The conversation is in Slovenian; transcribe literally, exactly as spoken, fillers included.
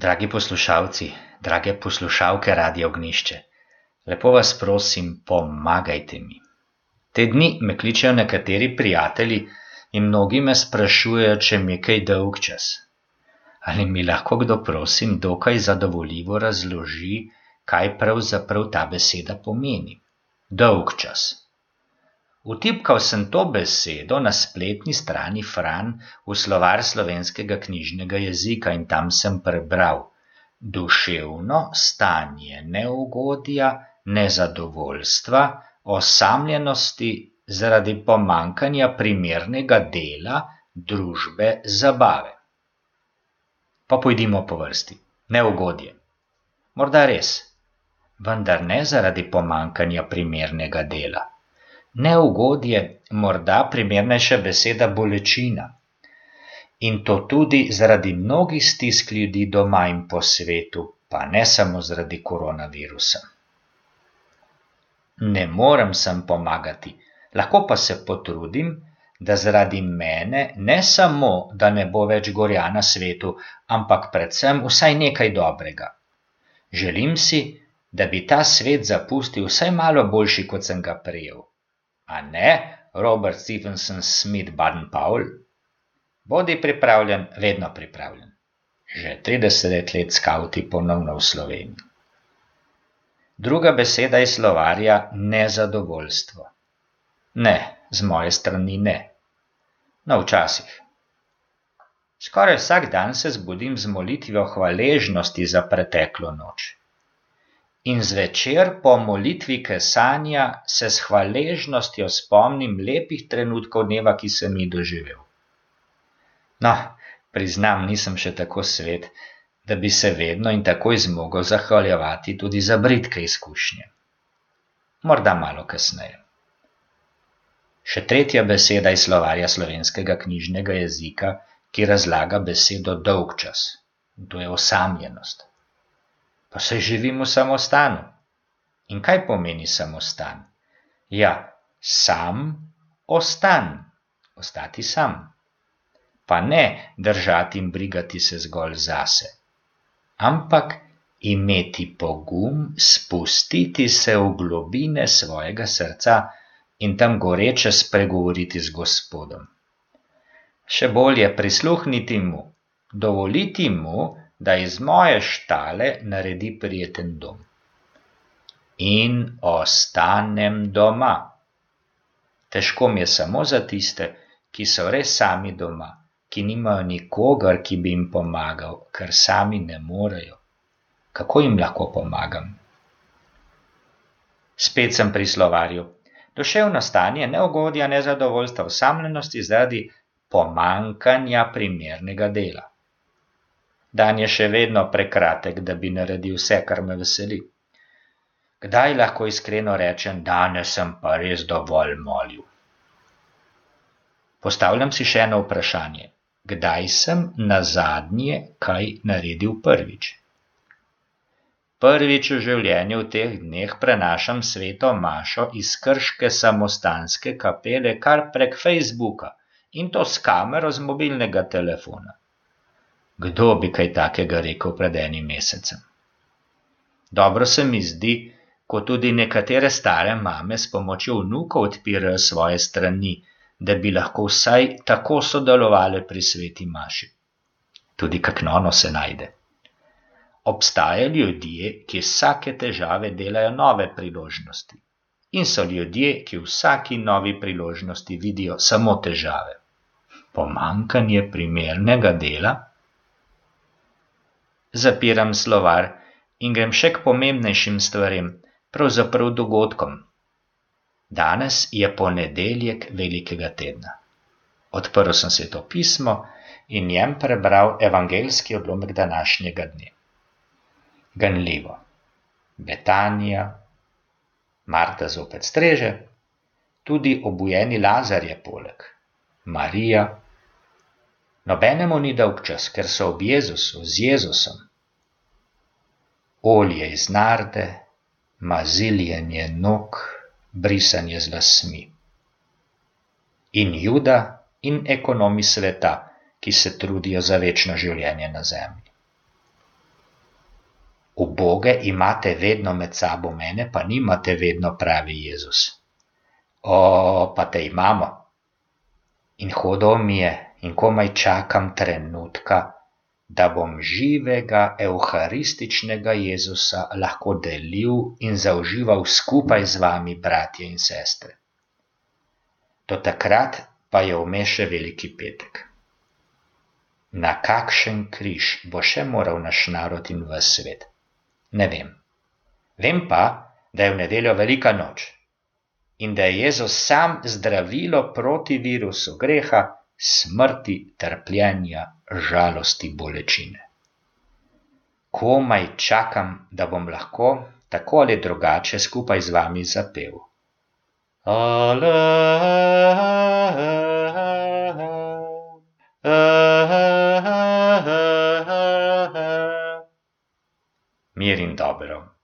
Dragi poslušalci, drage poslušalke Radia Ognjišče, lepo vas prosim, pomagajte mi. Te dni me kličejo nekateri prijatelji in mnogi me sprašujejo, če mi je kaj dolgčas. Ali mi lahko kdo prosim dokaj zadovoljivo razloži, kaj pravzaprav ta beseda pomeni? Dolgčas. Vtipkal sem to besedo na spletni strani Fran v slovar slovenskega knjižnega jezika in tam sem prebral: duševno stanje neugodja, nezadovoljstva, osamljenosti zaradi pomanjkanja primernega dela, družbe, zabave. Pa pojdimo po vrsti. Neugodje. Morda res, vendar ne zaradi pomanjkanja primernega dela. Neugodje, morda primernejša beseda bolečina. In to tudi zaradi mnogih stisk ljudi doma in po svetu, pa ne samo zaradi koronavirusa. Ne morem sem pomagati, lahko pa se potrudim, da zaradi mene ne samo, da ne bo več gorja na svetu, ampak predvsem vsaj nekaj dobrega. Želim si, da bi ta svet zapustil vsaj malo boljši, kot sem ga prejel. A ne, Robert Stephenson Smith Baden-Powell? Bodi pripravljen, vedno pripravljen. Že trideset let skavti ponovno v Sloveniji. Druga beseda iz slovarja nezadovoljstvo. Ne, z moje strani ne. No, včasih. Skoraj vsak dan se zbudim z molitvijo hvaležnosti za preteklo noč. In zvečer po molitvi kesanja se s hvaležnostjo spomnim lepih trenutkov dneva, ki sem jih doživel. No, priznam, nisem še tako svet, da bi se vedno in takoj zmogel zahvaljevati tudi za bridke izkušnje. Morda malo kasneje. Še tretja beseda iz slovarja slovenskega knjižnega jezika, ki razlaga besedo dolgčas. To je osamljenost. Pa se živim v samostanu. In kaj pomeni samostan? Ja, sam ostan, ostati sam. Pa ne držati in brigati se zgolj zase, ampak imeti pogum spustiti se v globine svojega srca in tam goreče spregovoriti z Gospodom. Še bolje prisluhniti mu, dovoliti mu, da iz moje štale naredi prijeten dom. In ostanem doma. Težko mi je samo za tiste, ki so res sami doma, ki nimajo nikogar, ki bi jim pomagal, ker sami ne morejo. Kako jim lahko pomagam? Spet sem pri slovarju. Duševno stanje neugodja, nezadovoljstva, osamljenosti zaradi pomanjkanja primernega dela. Dan je še vedno prekratek, da bi naredil vse, kar me veseli. Kdaj lahko iskreno rečem, danes sem pa res dovolj molil? Postavljam si še eno vprašanje. Kdaj sem nazadnje kaj naredil prvič? Prvič v življenju v teh dneh prenašam sveto mašo iz krške samostanske kapele kar prek Facebooka in to s kamero z mobilnega telefona. Kdo bi kaj takega rekel pred enim mesecem? Dobro se mi zdi, ko tudi nekatere stare mame s pomočjo vnukov odpirajo svoje strani, da bi lahko vsaj tako sodelovali pri sveti maši. Tudi kak nono se najde. Obstajajo ljudje, ki vsake težave delajo nove priložnosti. In so ljudje, ki v vsaki novi priložnosti vidijo samo težave. Pomanjkanje primernega dela? Zapiram slovar in grem še k pomembnejšim stvarem, pravzaprav dogodkom. Danes je ponedeljek velikega tedna. Odprl sem Sveto pismo in njem prebral evangeljski odlomek današnjega dne. Ganljivo. Betanija, Marta zopet streže, tudi obujeni Lazar je poleg. Marija. Nobenemu ni dolgčas, ker so ob Jezusu, z Jezusom. Olje iz narde, maziljenje nog, brisanje z lasmi. In Juda in ekonomi sveta, ki se trudijo za večno življenje na zemlji. Uboge imate vedno med sabo, mene pa nimate vedno, pravi Jezus. O, pa te imamo. In hudo mi je in komaj čakam trenutka, da bom živega evharističnega Jezusa lahko delil in zaužival skupaj z vami, bratje in sestre. Do takrat pa je vmes še Veliki petek. Na kakšen križ bo še moral naš narod in ves svet? Ne vem. Vem pa, da je v nedeljo velika noč in da je Jezus sam zdravilo proti virusu greha, smrti, trpljenja, žalosti, bolečine. Komaj čakam, da bom lahko tako ali drugače skupaj z vami zapel. Ale, mir in dobro.